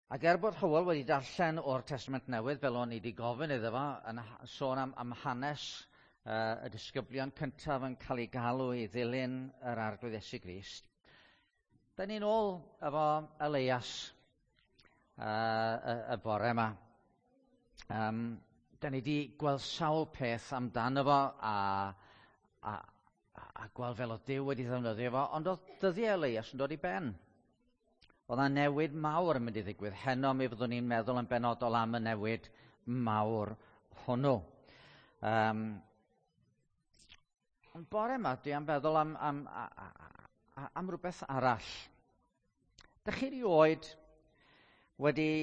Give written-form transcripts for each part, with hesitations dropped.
Ac er bod Hywel wedi darllen o'r Testament Newydd, fel o'n i wedi gofyn iddo fo, yn sôn am hanes y disgyblion cyntaf yn cael eu galw i ddilyn yr Arglwydd Iesu Grist, da ni'n ôl efo Elias y bore yma. Da ni wedi gweld sawl peth amdano fo a gweld fel oedd Duw wedi ddefnyddio fo, ond oedd dyddiau Elias yn dod i ben. Oedd yna newid mawr yn mynd i ddigwydd. Heno mi fyddwn ni'n meddwl yn benodol am y newid mawr hwnnw. Ond bore yma, dwi am feddwl am rhywbeth arall. Dych chi rioed wedi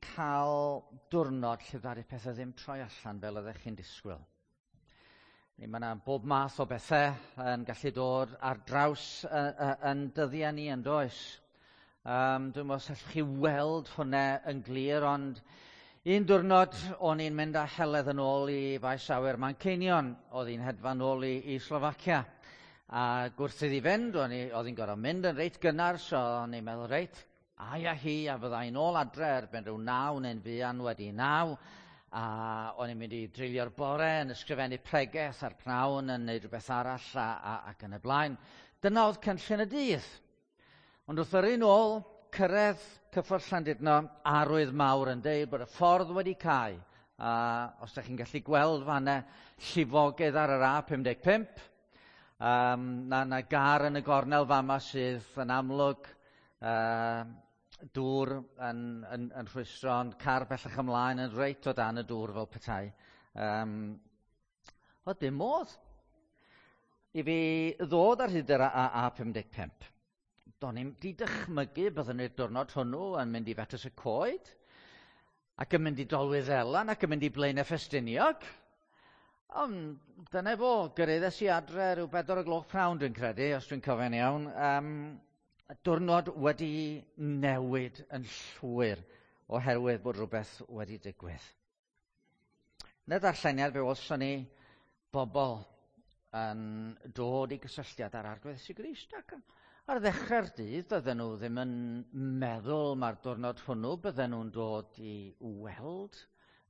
cael diwrnod lle ddaru pethau ddim troi allan fel oeddech chi'n disgwyl? Mae yna bob math o bethau yn gallu dod ar draws yn dyddiau ni yn does? Dwi'n meddwl os allwch chi weld hwnna yn glir, ond un diwrnod o'n i'n mynd â Heledd yn ôl i faes awyr Manceinion. Oedd hi'n hedfan ôl i Slofacia. A wrth iddi fynd, oedd hi'n gorfod mynd yn reit gynnar, so o'n i'n meddwl, reit, a ia hi, a fydda i'n ôl adre erbyn rhyw 9 neu'n fuan wedi 9. A o'n i'n mynd i dreulio'r bore yn ysgrifennu pregeth a'r pnawn yn neud rhywbeth arall ac yn y blaen. Dyna oedd cynllun y dydd. Ond wrth yrru nôl, cyrraedd cyffordd Llandudno, arwydd mawr yn deud bod y ffordd wedi cau. A os ydych chi'n gallu gweld fanna llifogydd ar yr A55, na gar yn y gornel fama sydd yn amlwg dŵr yn rhwystro, ond car bellach ymlaen yn reit o dan y dŵr fel petai. Oedd dim modd i fi ddod ar hyd yr A55. Do'n i'm 'di dychmygu byddwn ni'r diwrnod hwnnw yn mynd i Fetws y Coed, ac yn mynd i Dolwyddelan, ac yn mynd i Blaenau Ffestiniog. Ond dyna fo, gyrhaeddes i adre rhyw 4 o'r gloch pnawn dwi'n credu, os dwi'n cofio'n iawn. Diwrnod wedi newid yn llwyr oherwydd bod rhywbeth wedi digwydd. Yn y darlleniad fe welson ni bobl yn dod i gysylltiad â'r Arglwydd Iesu Grist, ac ar ddechrau'r dydd doedden nhw ddim yn meddwl mae'r diwrnod hwnnw bydden nhw'n dod i weld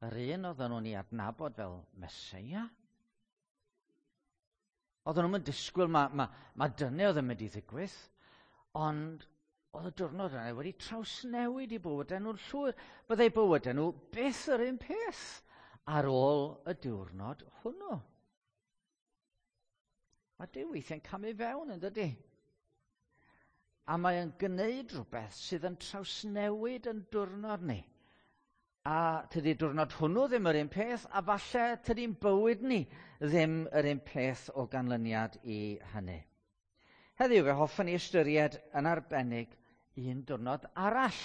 yr un oedden nhw'n ei adnabod fel Meseia. Oedden nhw'n disgwyl ma dyna oedd yn mynd i ddigwydd, ond oedd y diwrnod yna wedi trawsnewid i bywydau nhw'n llwyr. Byddai bywydau nhw byth yr un peth ar ôl y diwrnod hwnnw. Mae Duw weithiau'n camu fewn yn dydy. A mae o'n gwneud rhywbeth sydd yn trawsnewid yn diwrnod ni. A tydi diwrnod hwnnw ddim yr un peth, a falle tydi'n bywyd ni ddim yr un peth o ganlyniad i hynny. Heddiw fe hoffwn i ystyried yn arbennig un diwrnod arall.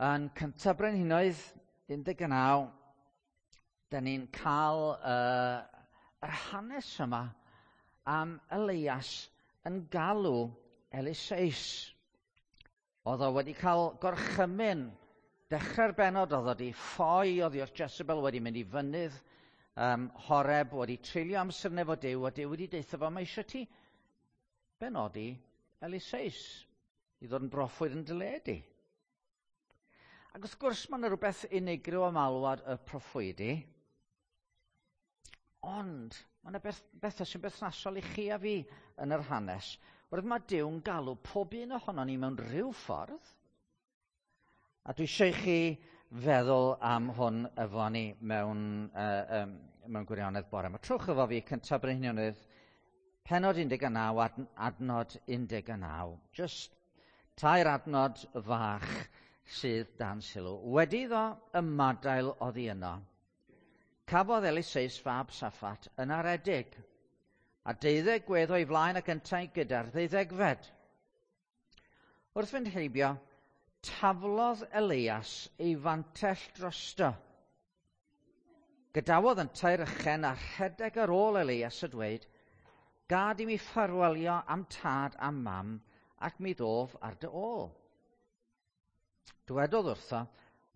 Yn Cyntaf Brenhinoedd 19, da ni'n cael yr hanes yma am Elias yn galw Eliseus. Oedd o wedi cael gorchymyn dechrau'r bennod, oedd o wedi ffoi oddi wrth Jezebel, wedi mynd i fynydd Horeb, wedi treulio amser efo Duw, a Duw wedi deutha fo, mae eisiau ti benodi Eliseus i ddod yn broffwyd yn dy le di. Ac wrth gwrs mae yna rhywbeth unigryw am alwad y proffwydi, ond mae yna bethau sy'n berthnasol i chi a fi yn yr hanes. Wrth mae Duw'n galw pob un ohonon ni mewn rhyw ffordd, a dwi eisiau i chi feddwl am hwn efo ni mewn gwirionedd bore. Mae trowch efo fi Cyntaf Brenhinoedd, pennod 19, adnod 19. Just tair adnod fach sydd dan sylw. Wedi iddo ymadael oddi yno, cafodd Eliseus fab Saffat yn aredig, a 12 gwedd o'i flaen ac yntau gyda'r 12fed. Wrth fynd heibio, taflodd Elias ei fantell drosto. Gadawodd yntau'r ychen a rhedeg ar ôl Elias a dweud, gad i mi ffarwelio am tad a mam ac mi ddof ar dy ôl. Dywedodd wrtho,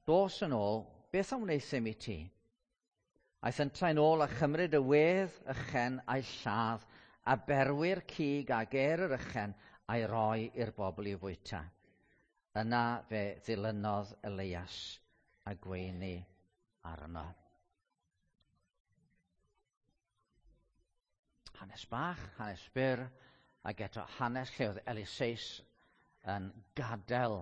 dos yn ôl, beth a wneuthum i ti? Aeth yntau'n ôl a chymryd y wedd ychen a'i lladd, a berwi'r cig ag er yr ychen a'i roi i'r bobl i'w fwyta. Yna fe ddilynodd Elias a gweini arno. Hanes bach, hanes byr, ac eto hanes lle oedd Eliseus yn gadael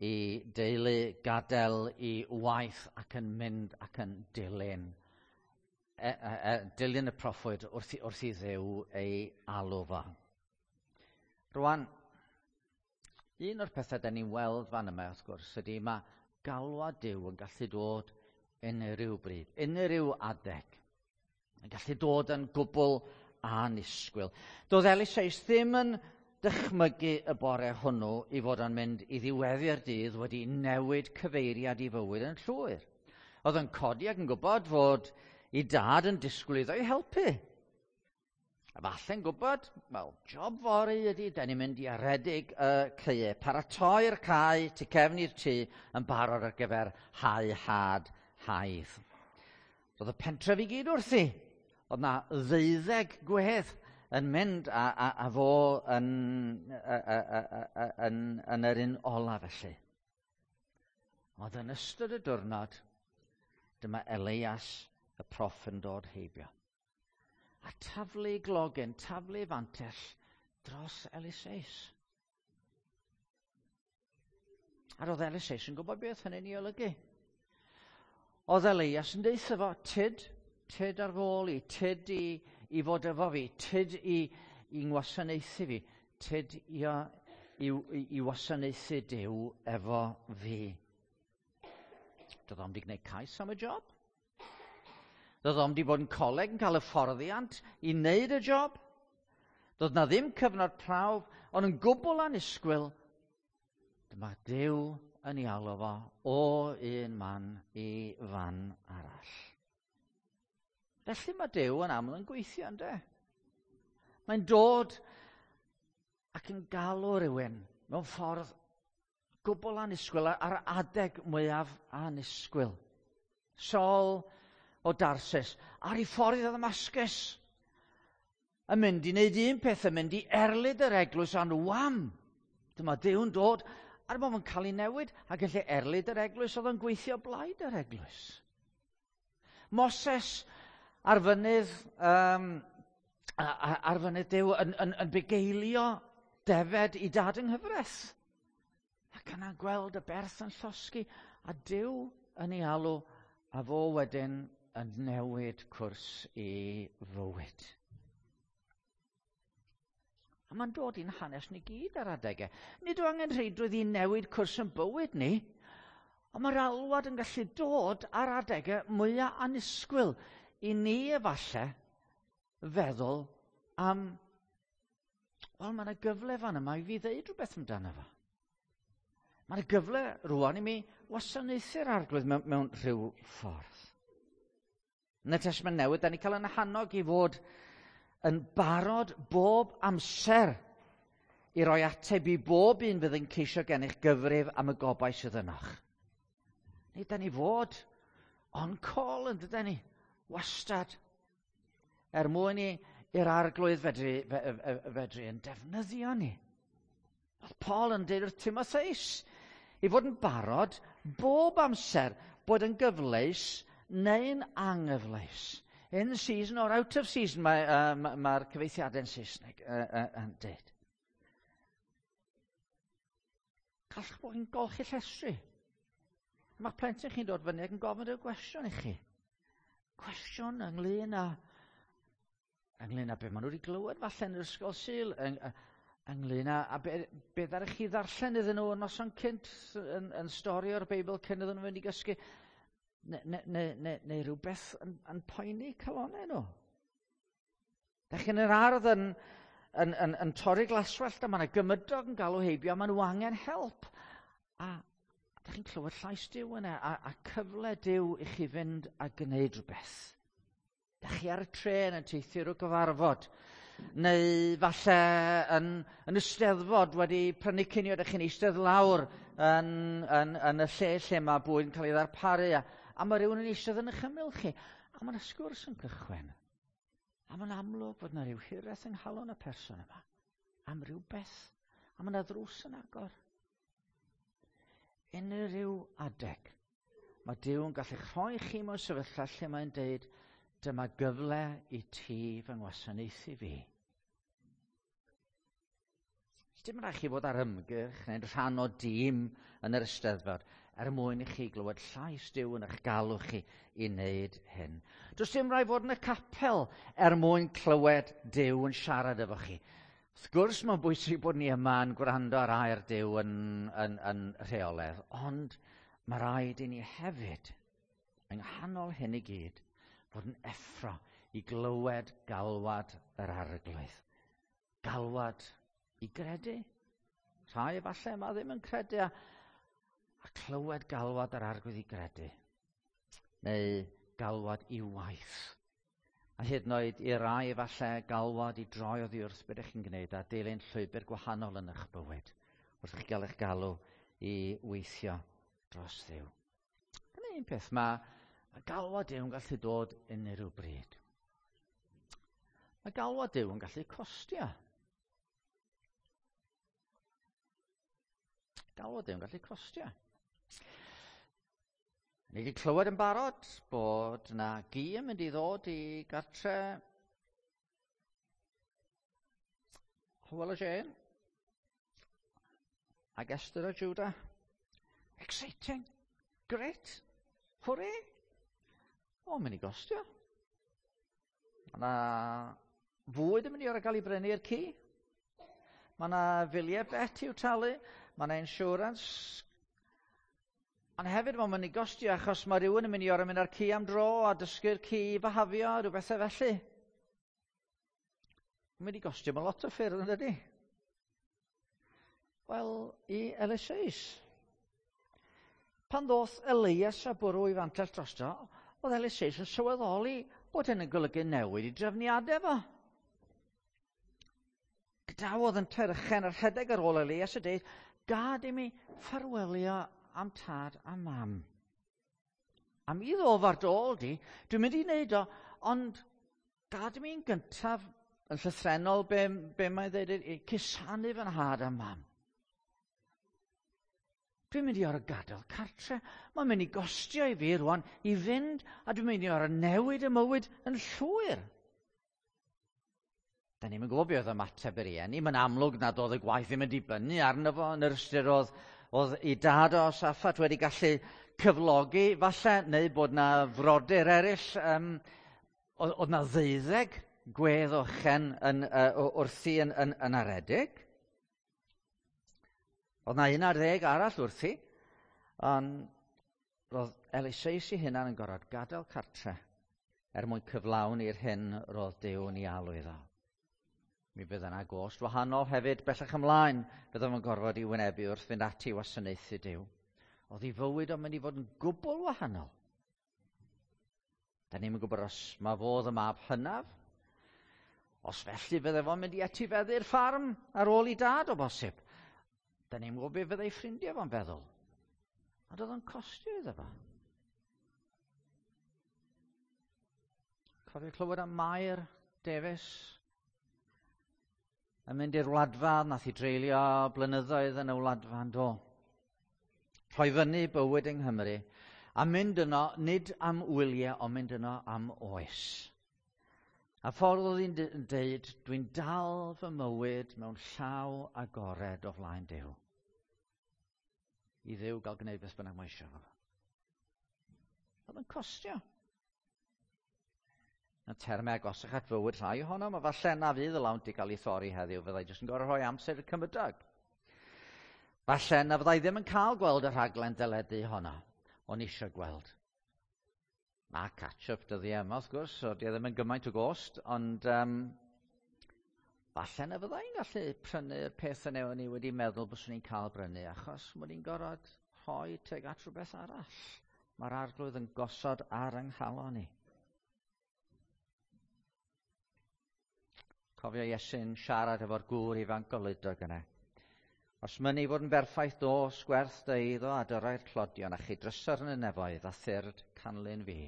i deulu, gadael i waith ac yn mynd ac yn dilyn. Dilyn y proffwyd wrth i Dduw ei alw fo. Rwan, un o'r pethau da ni'n weld fan yma, wrth gwrs, ydy mae galwad Duw yn gallu dod unrhyw bryd, unrhyw adeg. Yn gallu dod yn gwbl annisgwyl. Doedd Eliseus ddim yn dychmygu y bore hwnnw i fod yn mynd i ddiweddu'r dydd wedi newid cyfeiriad i fywyd yn llwyr. Oedd yn codi ac yn gwybod fod i dad yn disgwyl iddo i helpu. A falle'n gwybod, wel, job fory ydy, da ni'n mynd i aredig y caeau, paratoi'r cae tu cefn i'r tŷ yn barod ar gyfer hau had haidd. Roedd y pentref i gyd wrthi. Oedd na 12 gwedd yn mynd a fo yn yr un ola felly. Ond yn ystod y diwrnod, dyma Elias y proff yn dod heibio. A taflu glogyn, taflu fantell dros Eliseus. A roedd Eliseus yn gwybod beth hynny'n ei olygu. Oedd Elias yn deutha fo, tyd ar fôl i, tyd i fod efo fi, tyd i ngwasanaethu fi, tyd i wasanaethu Duw efo fi. Doedd o'm 'di gwneud cais am y job. Doedd o'm 'di bod yn coleg yn cael hyfforddiant i wneud y job. Doedd na ddim cyfnod prawf, ond yn gwbl annisgwyl, dyma Duw yn ei alw fo o un man i fan arall. Felly mae Duw yn aml yn gweithio, ynde? Mae'n dod ac yn galw rhywun mewn ffordd gwbl annisgwyl ar adeg mwyaf annisgwyl. Saul o Darsus, ar ei ffordd i Ddamascus, yn mynd i wneud un peth, yn mynd i erlid yr eglwys a'n wam. Dyma Duw'n dod, a'r modd yn cael ei newid, ac yn lle erlid yr eglwys, oedd yn gweithio blaid yr eglwys. Moses ar fynydd Duw yn bugeilio defed i dad yng nghyfraith. Ac yna'n gweld y berth yn llosgi, a Duw yn ei alw, a fo wedyn yn newid cwrs i fywyd. A mae'n dod i'n hanes ni gyd ar adegau. Nid yw angen rheidrwydd i newid cwrs yn bywyd ni, ond mae'r alwad yn gallu dod ar adegau mwyaf annisgwyl i ni efallai feddwl am, wel, mae yna gyfle fan yma i fi ddeud rhywbeth amdano fo. Mae yna gyfle rwan i mi wasanaethu'r Arglwydd mewn rhyw ffordd. Yn y Testament Newydd, da ni cael yn hannog i fod yn barod bob amser i roi ateb i bob un fydd yn ceisio gennych gyfrif am y gobaith sydd ynoch. Neu da ni fod on call yn dydan ni, wastad, er mwyn i'r Arglwydd fedru yn defnyddio ni. Oedd Paul yn deud wrth Timotheus i fod yn barod bob amser, bod yn gyfleus neu'n anghyfleus. In season or out of season, mae'r cyfeithiadau'n Saesneg yn dweud. Gallwch bod yn golchi llestri. Mae'ch plentyn chi'n dod fyny ac yn gofyn rhyw gwestiwn i chi. Cwestiwn ynglyn â beth maen nhw wedi glywed falle yn yr ysgol Sul, ynglyn â be ddaru chi ddarllen iddyn nhw yn noson cynt, yn stori o'r Beibl cyn iddyn nhw fynd i gysgu, neu rhywbeth yn poeni calonnau nhw. Da chi'n yr ardd yn torri glaswellt a mae yna gymydog yn galw heibio a maen nhw angen help. A da chi'n clywed llais Duw yna a cyfle Duw i chi fynd a gwneud rhywbeth. Da chi ar y trên yn teithio rhyw gyfarfod, neu falle yn y Steddfod wedi prynu cinio, da chi'n eistedd lawr yn y lle mae bwyd yn cael ei ddarparu, a mae rhywun yn eistedd yn eich ymyl chi, a mae yna sgwrs yn cychwyn. A mae'n amlwg fod yna rhyw hiraeth yng nghalon y person yma, am rhywbeth, a mae yna ddrws yn agor. Unrhyw adeg. Mae Duw yn gallu rhoi chi mewn sefyllfa lle mae'n deud, dyma gyfle i ti fy ngwasanaethu fi. Dim rhaid chi fod ar ymgyrch neu'n rhan o dîm yn yr Eisteddfod er mwyn i chi glywed llais Duw yn eich galw chi i wneud hyn. Does dim rhaid fod yn y capel er mwyn clywed Duw yn siarad efo chi. Wrth gwrs mae'n bwysig bod ni yma yn gwrando ar air Duw yn rheolaidd, ond mae rhaid i ni hefyd, yng nghanol hyn i gyd, fod yn effro i glywed galwad yr Arglwydd. Galwad i gredu. Rhai efallai yma ddim yn credu a clywed galwad yr Arglwydd i gredu. Neu galwad i waith. A hyd yn oed i rai efallai galwad i droi oddi wrth beth ydych chi'n gwneud a dilyn llwybr gwahanol yn eich bywyd wrth chi gael eich galw i weithio dros Dduw. Dyna un peth, mae galwad Duw yn gallu dod unrhyw bryd. Mae galwad Duw yn gallu costio. Galwad Duw yn gallu costio. Ni wedi clywed yn barod bod na gi yn mynd i ddod i gartre Hywel a Jane ac Esther a Judah. Exciting. Great. Hooray. O, mynd i gostio. Mae yna fwyd yn mynd i orau gael ei brynu i'r ci. Mae yna filiau vet i'w talu. Mae yna insurance. Ond hefyd mae'n mynd i gostio achos mae rhywun yn mynd i orau mynd â'r ci am dro a dysgu'r ci i fihafio, rhyw bethau felly. Mae'n mynd i gostio mewn lot o ffyrdd, yn dydi? Wel, i Eliseus. Pan ddoth Elias a bwrw i fantell drosto, oedd Eliseus yn sylweddoli bod hyn yn golygu newid i drefniadau fo. Gadawodd yn terchen a rhedeg ar ôl Elias a deud, gad i mi ffarwelio am tad a mam. A mi ddof ar dôl di, dwi'n mynd i wneud o, ond gad i mi'n gyntaf yn llythrennol be mae'n dweud, cusanu fy nhad a mam. Dwi'n mynd i orau gadael cartre. Mae'n mynd i gostio i fi rwan i fynd, a dwi'n mynd i orau newid y mywyd yn llwyr. Da ni'm yn gwybod be oedd ymateb yr rieni. Mae'n amlwg nad oedd y gwaith ddim yn dibynnu arno fo yn yr ystyr oedd ei dad o Saffat wedi gallu cyflogi falle, neu bod na frodyr eraill. Oedd na 12 gwedd ochen wrthi yn aredig. Oedd na 11 arall wrthi, ond roedd Eliseus ei hunan yn gorfod gadael cartre er mwyn cyflawni'r hyn roedd Duw yn ei alw iddo. Mi fydd yna gost wahanol hefyd bellach ymlaen, bydde fo'n gorfod i wynebu wrth fynd ati i wasanaethu Duw. Oedd ei fywyd o'n mynd i fod yn gwbl wahanol. Da ni'm yn gwybod os mae fodd y mab hynaf, os felly fydde fo'n mynd i etifeddu'r ffarm ar ôl i dad o bosib. Da ni'm yn gwybod beth fyddai ffrindiau fo'n feddwl. Ond oedd o'n costio iddo fo. Cofio clywed am Mair Davies yn mynd i'r wladfa, nath i dreulio blynyddoedd yn y wladfa yn do. Rhoi fyny bywyd yng Nghymru a mynd yno nid am wyliau, ond mynd yno am oes. A ffordd oedd hi'n deud, dwi'n dal fy mywyd mewn llaw agored o flaen Duw. I Dduw gael gwneud beth bynnag mae eisiau fo. Oedd yn costio. Y termau agosach at fywyd rhai ohonom, a falle na fydd y lawnt i gael ei thorri heddiw, fyddai jyst yn gorfod rhoi amser i'r cymydog. Falle na fyddai ddim yn cael gweld y rhaglen deledu honno, o'n eisiau gweld. Mae catch-up dyddiau yma, wrth gwrs, so di e ddim yn gymaint o gost, ond falle na fyddai'n gallu prynu'r peth yna o'n i wedi meddwl byswn i'n cael brynu, achos mod i'n gorfod rhoi tuag at rhywbeth arall. Mae'r Arglwydd yn gosod ar yng nghalon i. Cofio Iesu'n siarad efo'r gŵr ifanc goludog yna. Os mynnu fod yn berffaith dos, gwerth dy eiddo a dyrau'r tlodion a chi drysor yn y nefoedd a thyrd canlyn fi.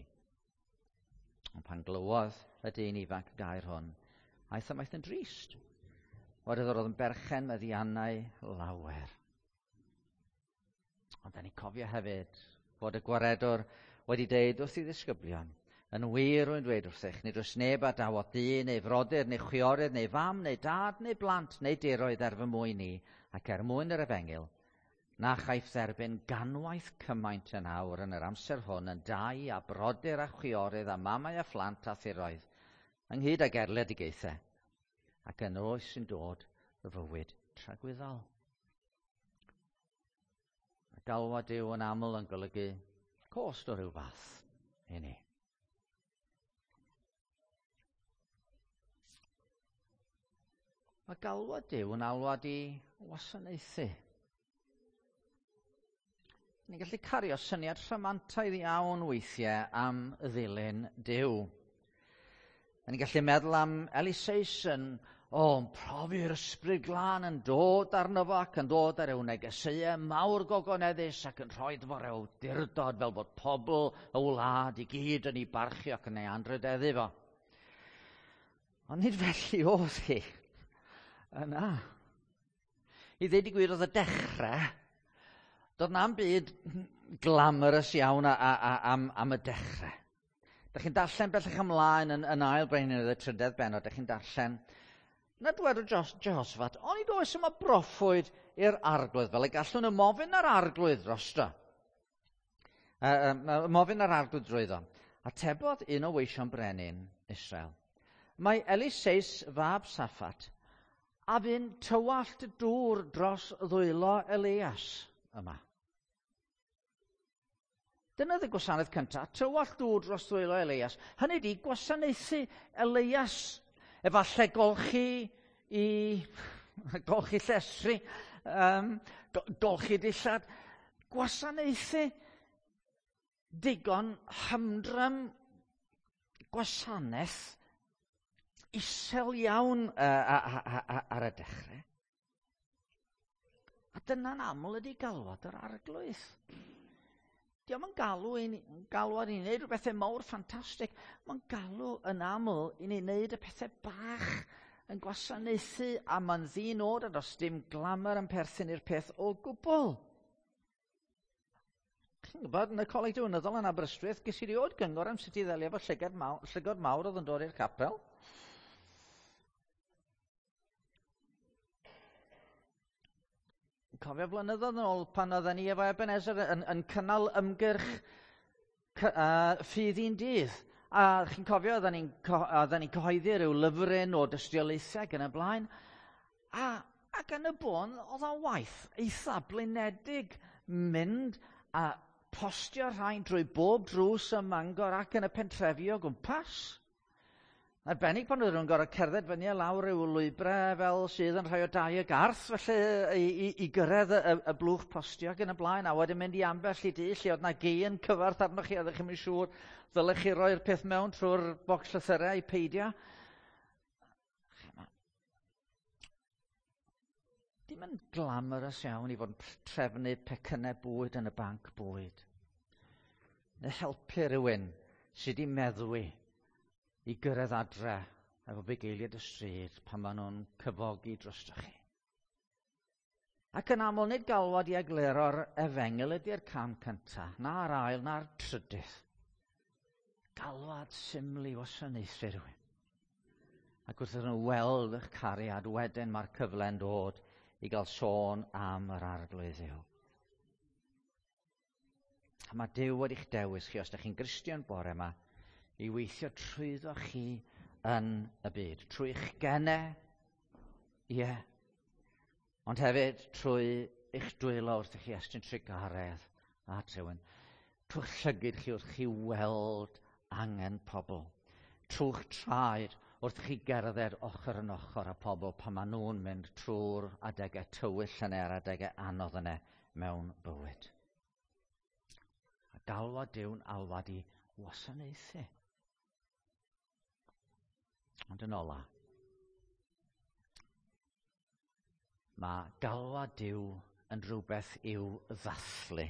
Ond pan glywodd y dyn ifanc y gair hwn, aeth ymaith yn drist. Oherwydd oedd yn berchen meddiannau lawer. Ond da ni'n cofio hefyd fod y gwaredwr wedi deud wrth ei ddisgyblion, yn wir rwy'n dweud wrthych, nid oes neb a dawodd dyn neu frodyr neu chwiorydd neu fam neu dad neu blant neu diroedd er fy mwyn i ac er mwyn yr efengyl, na chaiff dderbyn ganwaith cymaint yn awr yn yr amser hwn yn dai a brodyr a chwiorydd a mamau a phlant a thiroedd, ynghyd ag erledigaethau, ac yn oes sy'n dod y fywyd tragwyddol. Mae galwad Duw yn aml yn golygu cost o ryw fath i ni. Mae galwad Duw yn alwad i wasanaethu. Ni'n gallu cario syniad rhamantaidd iawn weithiau am ddilyn Duw. Ni'n gallu meddwl am Eliseus yn, yn profi'r ysbryd glân yn dod arno fo ac yn dod ar ryw negeseuau mawr gogoneddus ac yn rhoi fo ryw awdurdod fel bod pobl y wlad i gyd yn ei barchu ac yn ei anrhydeddu fo. Ond nid felly oedd hi. Yna. I ddweud y gwir oedd y dechrau, doedd na'm byd glamorous iawn am y dechrau. Dych chi'n darllen bellach ymlaen yn ail Brenhinoedd y trydedd bennod, dych chi'n darllen, na dwedodd Jehoshaphat, onid oes yma broffwyd i'r arglwydd, fel y gallwn ymofyn ar arglwydd drosto. Ymofyn ar arglwydd drwyddo. Atebodd un o weision brenin Israel. Mae Eliseus fab Saffat a fu'n tywallt dŵr dros ddwylo Elias yma. Dyna oedd y gwasanaeth cyntaf, tywallt dŵr dros ddwylo Elias. Hynny ydi gwasanaethu Elias. Efallai golchi llestri, golchi dillad. Gwasanaethu digon hymdrem gwasanaeth isel iawn ar y dechrau. A dyna'n aml ydi galwad yr arglwydd. Dio'm yn galwad i ni wneud rhywbeth mawr ffantastig. Mae'n galw yn aml i ni wneud y pethau bach yn gwasanaethu, a mae'n ddinod a does dim glamour yn perthyn i'r peth o gwbl. Chi'n gwybod, yn y coleg diwinyddol yn Aberystwyth, ges i rioed gyngor am sut i ddelio efo llygod mawr oedd yn dod i'r capel. Cofio blynyddoedd yn ôl pan oedden ni efo Ebenezer yn cynnal ymgyrch ffydd un dydd. A chi'n cofio, oedden ni'n cyhoeddi rhyw lyfryn o dystiolaethau ac yn y blaen. Ac yn y bôn, oedd o'n waith eitha blinedig mynd a postio rhain drwy bob drws ym Mangor ac yn y pentrefi o gwmpas. Arbennig pan oedden nhw'n gorfod cerdded fyny a lawr ryw lwybrau fel sydd yn rhai o dai y garth, felly i gyrraedd y blwch postio ac yn y blaen, a wedyn mynd i ambell i dŷ lle oedd na gi yn cyfarth arnoch chi, a oeddech chi'm yn siŵr ddylech chi roi'r peth mewn trwy'r bocs llythyrau i peidio. Dim yn glamorous iawn i fod yn trefnu pecynnau bwyd yn y banc bwyd. Neu helpu rhywun sydd wedi meddwi i gyrraedd adre efo bugeiliaid y stryd pan maen nhw'n cyfogi drostoch chi. Ac yn aml nid galwad i egluro'r efengyl ydy'r cam cyntaf, na'r ail, na'r trydydd. Galwad syml i wasanaethu rhywun. Ac wrth iddyn nhw weld eich cariad, wedyn mae'r cyfle'n dod i gael sôn am yr arglwydd Dduw. A mae Duw wedi'ch dewis chi, os ydych chi'n Gristion bore yma, i weithio trwyddo chi yn y byd. Trwy'ch gene, ie, ond hefyd trwy eich dwylo wrth i chi estyn trugaredd at rhywun. Trwy'ch llygid chi wrth chi weld angen pobl. Trwy'ch traed wrth chi gerdded ochr yn ochr â pobl pan maen nhw'n mynd trwy'r adegau tywyll yna a'r adegau anodd yna mewn bywyd. A galwad Duw'n alwad i wasanaethu. Ond yn ola, mae galwad Duw yn rhywbeth i'w ddathlu.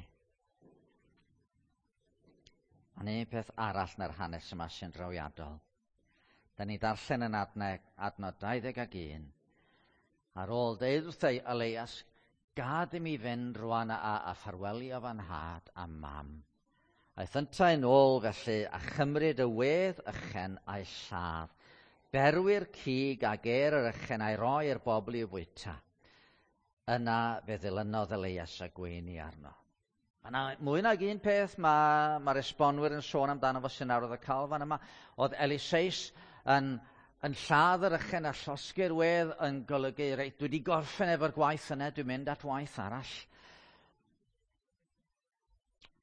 Ond un peth arall na'r hanes yma sy'n drawiadol. Da ni darllen yn adnod 21. Ar ôl deud wrth Elias, Gad i mi fynd rwan a ffarwelio fy nhad a mam. Aeth yntau'n ôl felly a chymryd y wedd ychen a'i lladd. Berwi'r cig a ger yr ychen a'i roi i'r bobl i'w fwyta. Yna fe ddilynodd Elias a gweini arno. Mae yna mwy nag un peth mae'r esbonwyr yn sôn amdano fo sy'n arwyddocaol fan yma. Oedd Eliseus yn lladd yr ychen a llosgi'r wedd yn golygu, reit, dwi wedi gorffen efo'r gwaith yna, dwi'n mynd at waith arall.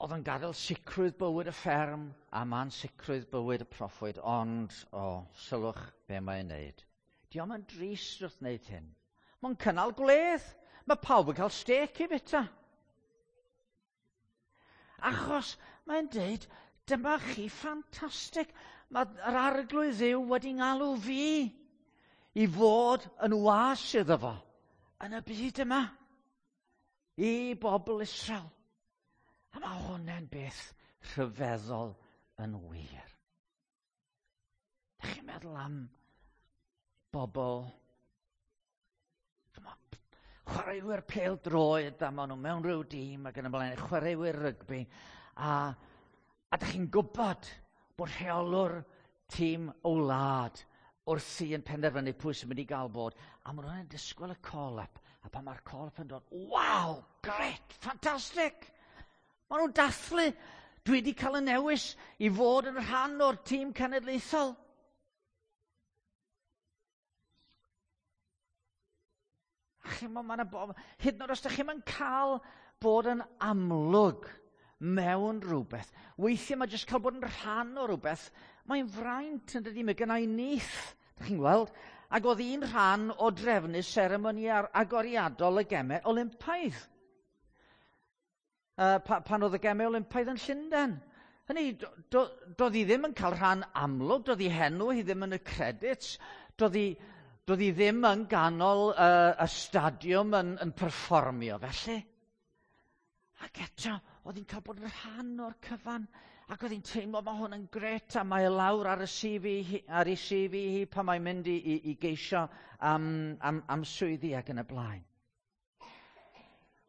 Oedd yn gadael sicrwydd bywyd y fferm a ma'n sicrwydd bywyd y proffwyd, ond, o, sylwch be mae'n neud. Dio'm yn drist wrth wneud hyn. Mae'n cynnal gwledd. Mae pawb yn cael stêc i fita. Achos mae'n deud, dyma chi ffantastig. Mae'r Arglwydd Dduw wedi ngalw fi i fod yn was iddo fo yn y byd yma i bobl Israel. A mae hwnna'n beth rhyfeddol yn wir. Dych chi'n meddwl am bobl, chwaraewyr pêl-droed, a maen nhw mewn rhyw dîm ac yn y blaen, chwaraewyr rygbi, a dych chi'n gwybod bod rheolwr tîm o wlad wrthi yn penderfynu pwy sy'n mynd i gael bod, a maen nhw'n disgwyl y call-up, a pan mae'r call-up yn dod, wow, great, ffantastig! Maen nhw'n dathlu, dwi wedi cael y newis i fod yn rhan o'r tîm cenedlaethol. A chi'n ma' 'na hyd yn oed os ydych chi'm yn cael bod yn amlwg mewn rhywbeth, weithiau mae jyst cael bod yn rhan o rhywbeth, mae'n fraint yn dydi, mae gynna i nith, ydych chi'n gweld? Ac oedd un rhan o drefnu seremoni agoriadol y Gemau Olympaidd. Pan oedd y Gemau Olympaidd yn Llundain. Hynny, doedd hi ddim yn cael rhan amlwg, doedd hi henw hi ddim yn y credits, doedd hi ddim yn ganol y stadiwm yn perfformio felly. Ac eto, oedd hi'n cael bod yn rhan o'r cyfan, ac oedd hi'n teimlo mae hwn yn gret, a mae e lawr ar y CV hi, ar ei CV hi pan mae'n mynd i geisio am swyddi ac yn y blaen.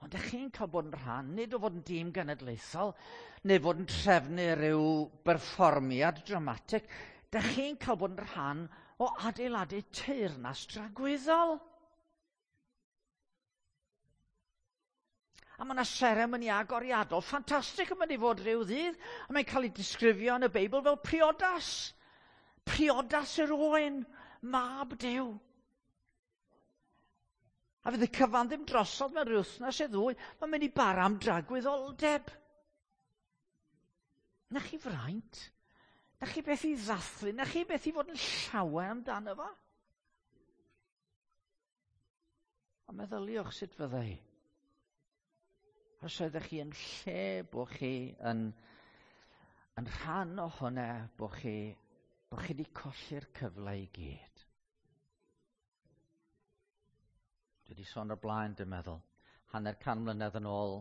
Ond ydych chi'n cael bod yn rhan, nid o fod yn dîm genedlaethol, neu fod yn trefnu rhyw berfformiad dramatig, ydych chi'n cael bod yn rhan o adeiladu teyrnas dragwyddol. A mae yna seremoni agoriadol ffantastig yn mynd i fod rhyw ddydd, a mae'n cael ei disgrifio yn y Beibl fel priodas. Priodas yr oen, mab Duw. A fydd y cyfan ddim drosodd mewn rhyw wythnos neu ddwy, mae'n mynd i bara am dragwyddoldeb. Na chi fraint, na chi beth i ddathlu, na chi beth i fod yn llawen amdano fo. Ond meddyliwch sut fyddai. Os oeddech chi yn lle bod chi yn rhan o hwnna, bod chi wedi colli'r cyfle i gyd. Dwi wedi sôn o'r blaen, dwi'n meddwl, 150 mlynedd yn ôl,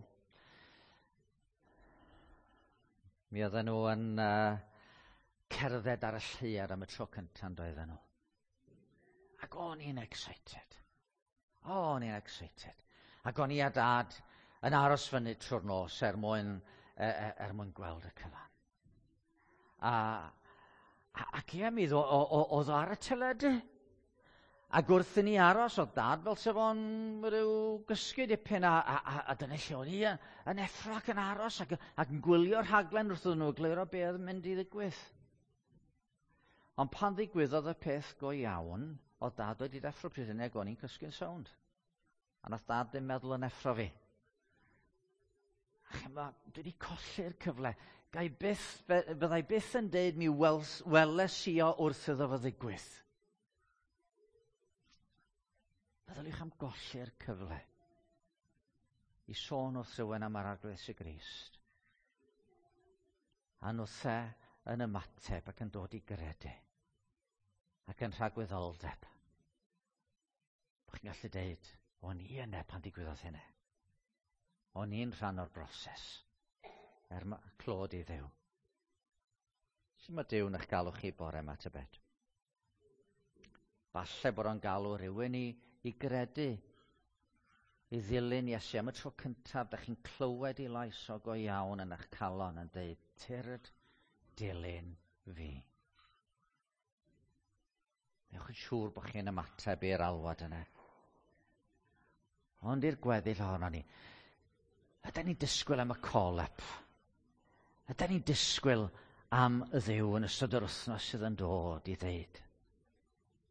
mi oedden nhw yn cerdded ar y lleuad am y tro cyntaf, yn doedden nhw. Ac o'n i'n excited. O'n i'n excited. Ac o'n i a dad yn aros fyny trwy'r nos er mwyn gweld y cyfan. Ac ie, mi oedd o ar y teledu. Ac wrth i ni aros, oedd dad fel sef o'n rhyw gysgu dipyn, a dyna lle o'n i yn effro ac yn aros ac yn gwylio'r rhaglen wrth iddyn nhw egluro be oedd yn mynd i ddigwydd. Ond pan ddigwyddodd y peth go iawn, oedd dad wedi deffro pryd hynny ac o'n i'n cysgu'n sownd. A nath dad ddim meddwl yn effro fi. A chimod, dwi wedi colli'r cyfle. Fyddai byth yn deud mi weles i o wrth iddo fo ddigwydd. Meddyliwch am golli'r cyfle i sôn wrth rhywun am yr Arglwydd Iesu Grist. A nhwthe yn ymateb ac yn dod i gredu ac yn rhagwyddoldeb. Bo chi'n gallu deud, o'n i yna pan digwyddodd hynny. O'n i'n rhan o'r broses. Er clod i Dduw. Sut mae Duw yn eich galw chi bore yma, tybed? Falle bod o'n galw rhywun i gredu. i ddilyn Iesu am y tro cyntaf, da chi'n clywed ei lais o go iawn yn eich calon yn dweud, tyrd, dilyn fi. Newch yn siŵr bod chi'n ymateb i'r alwad yna. Ond i'r gweddill ohono ni, ydyn ni'n disgwyl am y call-up? Ydyn ni'n disgwyl am y Dduw yn ystod yr wythnos sydd yn dod i ddeud,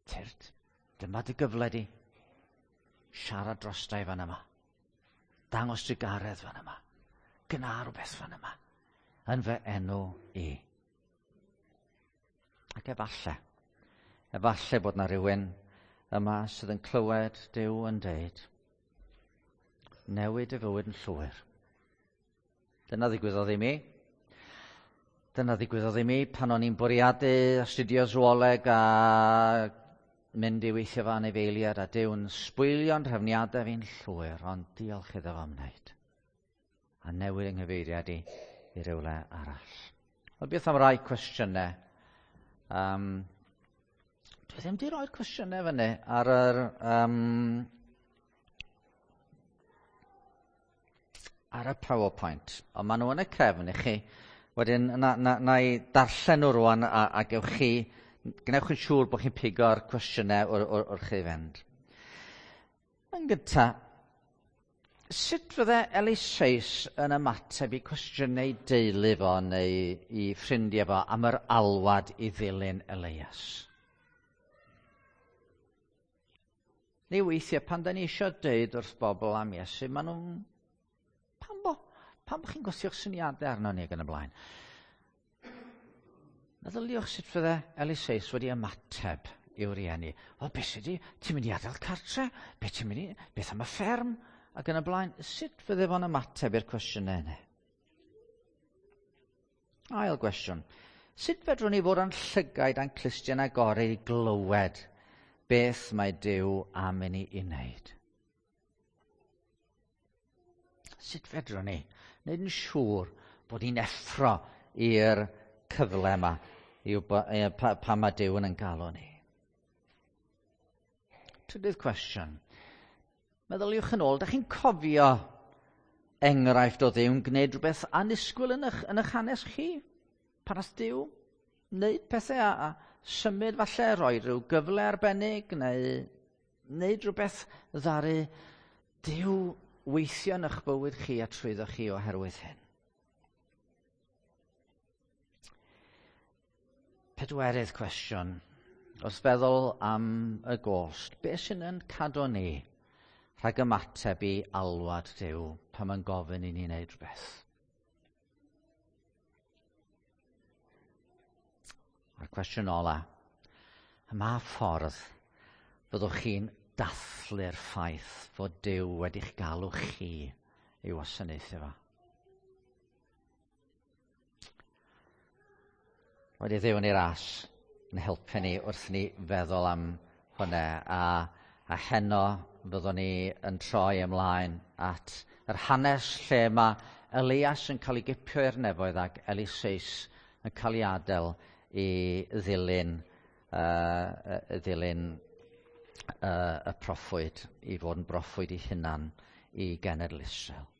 tyrd, dyma dy gyfle di. Siarad drostai fan yma. Dangos trugaredd fan yma. Gna rhywbeth fan yma. Yn fy enw i. Ac efallai bod na rhywun yma sydd yn clywed Duw yn deud, newid y fywyd yn llwyr. Dyna ddigwyddodd i mi. Dyna ddigwyddodd i mi pan o'n i'n bwriadu astudio zooleg a mynd i weithio fo anifeiliaid, a Duw'n sbwylio'n rhefniadau fi'n llwyr, ond diolch iddo fo am wneud. A newid yng nghyfeiriad i i rywle arall. Wel, beth am rai cwestiynau? Dwi ddim wedi rhoi'r cwestiynau fyny ar yr ar y PowerPoint, ond maen nhw yn y cefn i chi. Wedyn, na i darllen nhw rwan a gewch chi, gwnewch yn siŵr bod chi'n pigo'r cwestiynau wrth chi fynd. Yn gynta, sut fydde Eliseus yn ymateb i cwestiynau deulu fo neu i ffrindiau fo am yr alwad i ddilyn Elias? Neu weithiau, pan da ni eisiau deud wrth bobl am Iesu, maen nhw'n... Pam bo chi'n gwthio'ch syniadau arno ni ac yn y blaen? Meddyliwch sut fydde Eliseus wedi ymateb i'w rieni. Wel, beth sydd wedi? Ti'n mynd i adael cartre? Beth ti'n mynd i? Beth am y fferm? Ac yn y blaen, sut fydde fo'n ymateb i'r cwestiynau yna? Ail gwestiwn. Sut fedrwn ni fod â'n llygaid a'n clustiau'n agored i glywed beth mae Duw am i ni i wneud? Sut fedrwn ni wneud yn siŵr bod ni'n effro i'r cyfle yma i pa mae Duw yn ein galw ni? Trydydd cwestiwn. Meddyliwch yn ôl, da chi'n cofio enghraifft o Dduw'n gwneud rhywbeth annisgwyl yn eich hanes chi? Pan nath Duw wneud pethau a symud falle, rhoi rhyw gyfle arbennig neu wneud rhywbeth ddaru Duw weithio yn eich bywyd chi a trwyddo chi oherwydd hyn. Pedwerydd cwestiwn. Wrth feddwl am y gost, beth sy'n yn cadw ni rhag ymateb i alwad Duw pan mae'n gofyn i ni wneud rhywbeth? A'r cwestiwn ola, ym mha ffordd fyddwch chi'n dathlu'r ffaith fod Duw wedi'ch galw chi i wasanaethu fo? Wedi Dduw yn ei ras yn helpu ni wrth ni feddwl am hwnna, a heno fyddwn ni yn troi ymlaen at yr hanes lle mae Elias yn cael ei gipio i'r nefoedd ac Eliseus yn cael ei adael i ddilyn y proffwyd, i fod yn broffwyd ei hunan i genedl Israel.